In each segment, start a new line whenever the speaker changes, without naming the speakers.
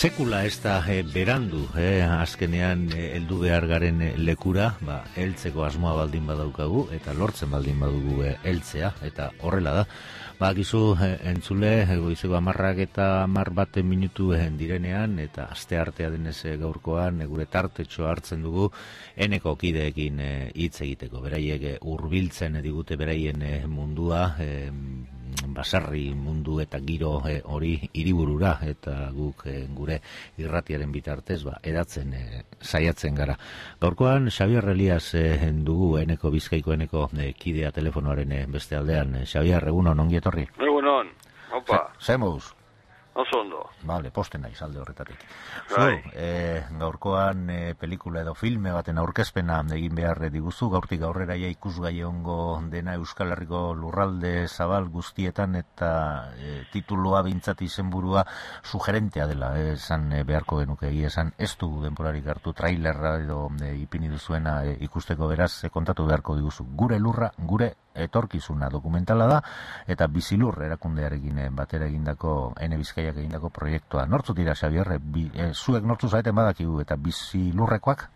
Sekula ez da berandu, azkenean heldu behar garen lekura, heltzeko asmoa baldin badaukagu, eta lortzen baldin badugu heltzea, eta horrela da. Gizu entzule, goizeko 10 eta 11 minutu direnean, eta aste artea denez gaurkoan, gure tartetxo hartzen dugu, eneko kideekin hitz egiteko. Beraiek hurbiltzen digute beraien mundua, basarri mundu eta giro hori hiriburura, eta guk gure irratiaren bitartez edatzen saiatzen gara. Gaurkoan Xabier Elias dugu eneko Bizkaiko eneko kidea telefonoaren beste aldean. Xabier, egunon, ongi etorri.
Egunon, opa.
Zemuz?
Oso ondo.
Vale, posten naiz alde horretatik. Gaurkoan pelikula edo filme baten aurkezpena egin behar diguzu, gaurtik aurrera ikusgai ongo dena Euskal Herriko lurralde zabal guztietan, eta titulua behintzat izenburua sugerentea dela, esan beharko genuke egia esan, ez du denborarik hartu trailerra edo ipini duzuena ikusteko, beraz kontatu beharko diguzu. Gure lurra, gure etorkizuna dokumentala da, eta Bizilur erakundearekin batera egindako Ene Bizkaiak egindako proiektua. Nortzu dira, Xabier, zuek nortzu zaeten badakigu, eta Bizilurrekoak?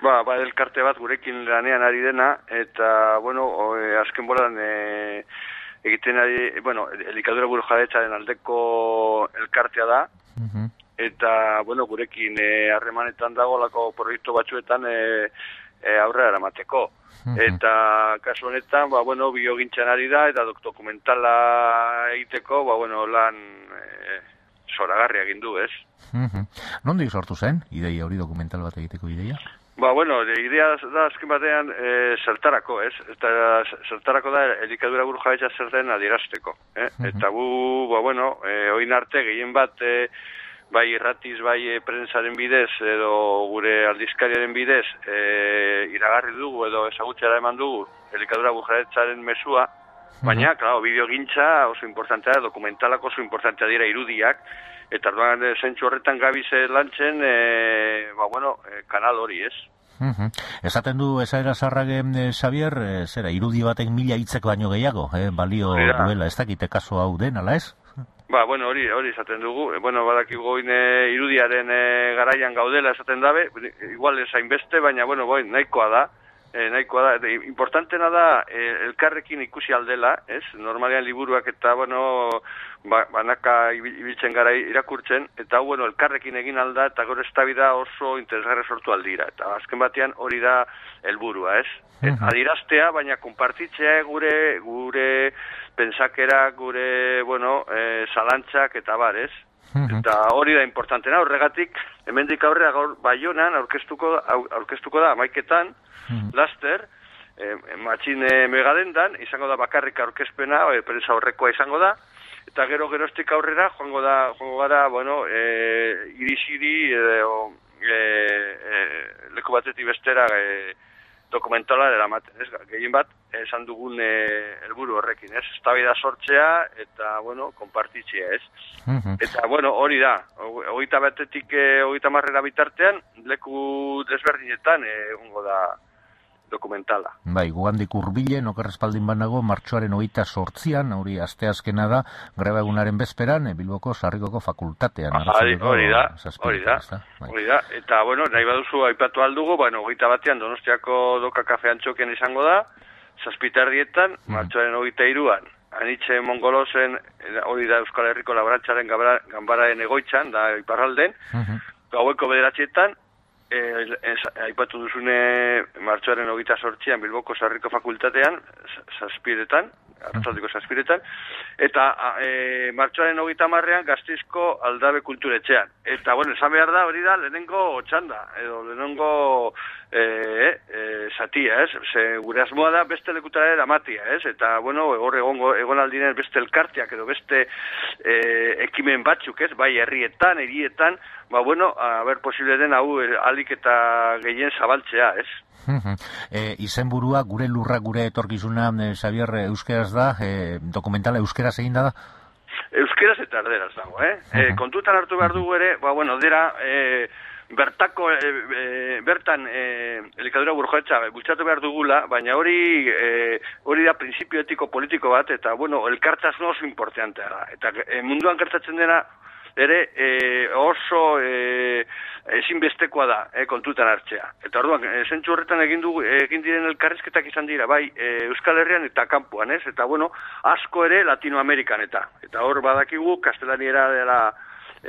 Elkarte bat gurekin lanean ari dena, eta, azken bolan egiten ari, elikadura burujabetzaren aldeko elkartea da, eta, gurekin harremanetan dagolako proiektu batzuetan aurrera eramateko. Eta kasu honetan, biogintzan ari da, eta dokumentala egiteko, lan zoragarria egin du, ez?
Nondik sortu zen, ideia hori, dokumental bat egiteko ideia?
Idea da azken batean zertarako, ez? Eta zertarako da elikadura burujabetza zer den adierazteko, Eta gu, oin arte gehien bat, bai irratiz, bai prentsaren bidez, edo gure aldizkariaren bidez, iragarri dugu edo ezagutzera eman dugu elikadura burujabetzaren mesua, baina, bideogintza oso importantea, dokumentalak oso importantea dira irudiak, eta orduan zentsu horretan gabize lantzen, kanal hori, ez?
Esaten du esaera zarragen, Xabier, zera, irudi batek 1000 hitzek baino gehiago, balio duela, ez dakite kaso hau den, ala ez?
Hori esaten dugu, badakigu irudiaren garaian gaudela esaten dabe, igual ez hainbeste, baina, nahikoa da, importantena da elkarrekin ikusi aldela, ez? Normalean liburuak eta, banaka ibiltzen gara irakurtzen, eta elkarrekin egin alda, eta gero eztabaida oso interesgarri sortu aldira, eta azken batean hori da helburua, ez? Adieraztea, baina konpartitzea gure pentsakera, gure, zalantzak eta bar, ez? Eta hori da importantena, horregatik, hemendik aurrera gaur Baionan aurkeztuko da, 11etan, laster, matxine megadendan, izango da bakarrik aurkezpena, prensa horrekoa izango da, eta geroztik aurrera joango gara, irisiri, leku batetik bestera, dokumentala eramaten, ez? Gehien bat, esan dugun helburu horrekin, ez? Eztabaida sortzea eta, konpartitzea, ez? Eta, hori da, 21-tik 30 bitartean, leku desberdinetan egongo da dokumentala.
Gugandik hurbilen, okerrespaldin banago, martxoaren 28an, hori asteazkena da, greba egunaren bezperan, Bilboko Sarrikoko fakultatean.
Hori da, eta, nahi baduzu aipatu aldugu, 21ean Donostiako Doka Kafe Antxoken izango da, 7:00 martxoaren 23an, Anitxe Mongolosen, hori da Euskal Herriko Laborantzaren ganbararen egoitzan, da iparralden, gaueko 9:00, aipatu duzune martxoaren 28an Bilboko Sarriko fakultatean, 7:00, arratsaldeko 7:00, eta martxoaren 30an Gasteizko Aldabe Kulturetxean. Eta, esan behar da, hori da, lehenengo txanda, edo lehenengo zatia, ez? Gure asmoa da beste lekutara eramatia, ez? Eta, egon aldinen beste elkarteak edo beste ekimen batzuk, ez? Bai, herrietan, hirietan, posible den hau alik eta gehien zabaltzea, ez?
Izenburua, gure lurra, gure etorkizuna, Xabier, euskeraz da, dokumentala euskeraz egin da?
Euskeraz eta erderaz dago, kontutan hartu behar dugu ere, dira, bertan elikadura burujabetza bultzatu behar dugula, baina hori da printzipio etiko politiko bat, eta, elkartasun oso importantea da. Eta munduan gertatzen dena, ere oso ezinbestekoa da kontutan hartzea. Eta orduan, zentzu horretan egin diren elkarrizketak izan dira, bai Euskal Herrian eta kanpoan, ez? Eta bueno, asko ere Latinoamerikan eta hor badakigu kastelaniera dela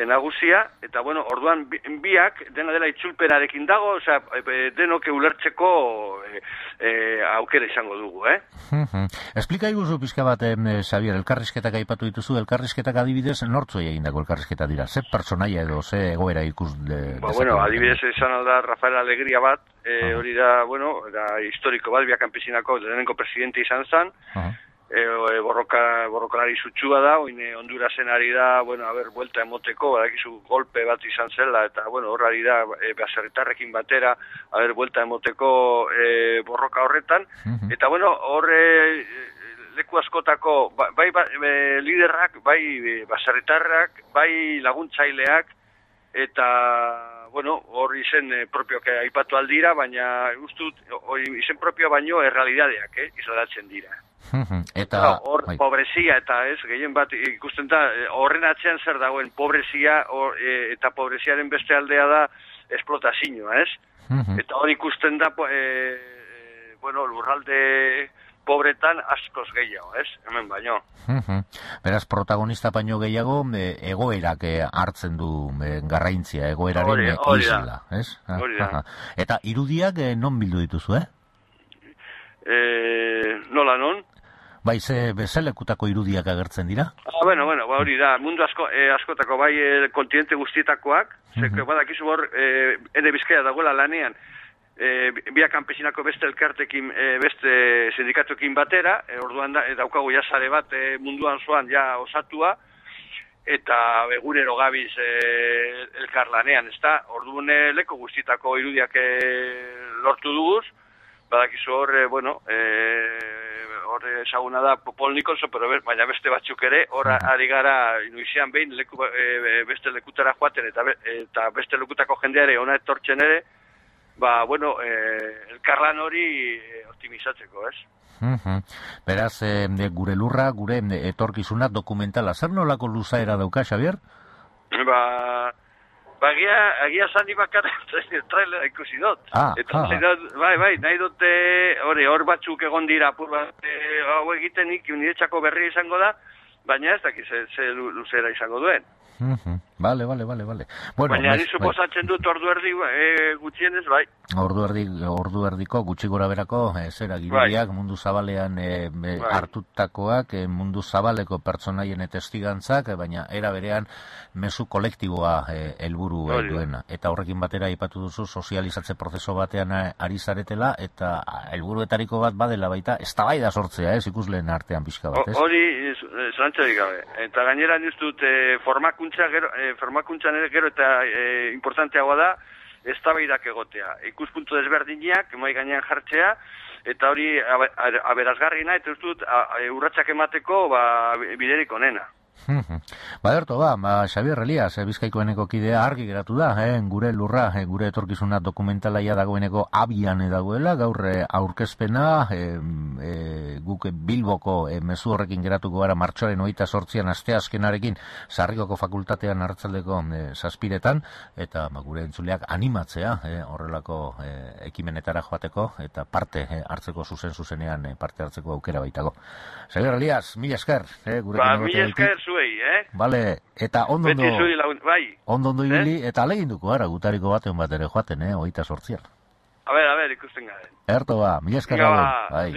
nagusia, eta bueno, orduan biak dena dela itzulpenarekin dago, osea, denok ulertzeko aukera izango dugu,
Esplika iguzu pizka bat, Xavier, elkarrizketak aipatu dituzu, elkarrizketak adibidez, nortzuei egindako elkarrizketa dira? Ze personaia edo, ze egoera ikus
bueno, adibidez izan alda Rafael Alegria bat, hori da, bueno, da historiko bat, Via Campesinako lehenengo presidente izan zen, borrokalari sutsua da, oine Hondurasen ari da, bueno, buelta emoteko, badakizu golpe bat izan zela, eta, bueno, hor ari da, baserritarrekin batera, buelta emoteko borroka horretan, eta, bueno, hor leku askotako, bai liderrak, bai baserritarrak, bai laguntzaileak, eta, bueno, hor izen propioak aipatu aldira, baina ustut, izen propio baino errealidadeak, islatzen dira.
Eta
hor pobrezia eta gehien bat ikusten da horren atzean zer dagoen pobrezia eta pobreziaren beste aldea da esplotazioa, eta hor ikusten da bueno, lurralde pobretan askoz gehiago, hemen baino.
Beraz, protagonista baino gehiago egoerak hartzen du garrantzia, egoeraren isla, Eta irudiak non bildu dituzu,
Nola non?
Bai, ze lekutako irudiak agertzen dira?
Bueno, hori da, mundu askotako, bai kontinente guztietakoak, badakizu hor, ene Bizkaia dagoela lanean, Via Campesinako beste elkartekin, beste sindikatuekin batera, orduan daukagu jasare bat munduan zoan ja osatua, eta egunero gabiz elkarlanean, orduan leko guztietako irudiak lortu duguz, badakizu hor, bueno, hor esaguna da Paul Nicholson, baina beste batzuk ere, hor ari gara inuizean behin beste lekutara joaten eta beste lekutako jendeare ona etortzen ere, bueno, elkarlan hori optimizatzeko,
Beraz, gure lurra, gure etorkizuna dokumentala, zer nolako luzaera dauka, Xavier?
Agia zani bakarra trailera ikusi dut. Bai, nahi dute hor batzuk egon dira apur bat hau egiten niretzako berria izango da, baina ez dakiz ze luzera izango duen.
Vale. Bueno,
baina ni suposatzen dut ordu erdi gutxienez, bai.
Ordu erdiko gutxi gora berako zera giroiak mundu zabalean hartutakoak, mundu zabaleko pertsonaien testigantzak, baina era berean mezu kolektiboa helburu duena. Eta horrekin batera aipatu duzu sozializatze prozeso batean ari zaretela, eta helburuetariko bat badela baita eztabaida sortzea, ikusleen artean pixka bat,
Hori zalantzarik gabe. Eta gainera nik dut formakuntzan ere gero eta importanteagoa da eztabaidak egotea. Ikuspuntu desberdinak mahai gainean jartzea, eta hori aberasgarriena, eta ez dut urratsak emateko biderik onena.
Baderto, Xavier Elias, Bizkaikoeneko kidea argi geratu da, gure lurra, gure etorkizuna dokumentalaia dagoeneko abian dagoela, gaur aurkezpena, guk Bilboko mezu horrekin geratuko gara martxoaren 28an asteazkenarekin Sarrikoko fakultatean hartzaldeko 7:00, eta gure entzuleak animatzea horrelako ekimenetara joateko, eta parte hartzeko zuzenean parte hartzeko aukera baitago. Xavier Elias, mila esker,
mila esker zuei,
Vale, eta ondo ibili, eta aleginduko gara gutariko batean bat ere joaten, 28an.
A ver, ikusten garen.
Erto mila esker.
Bai.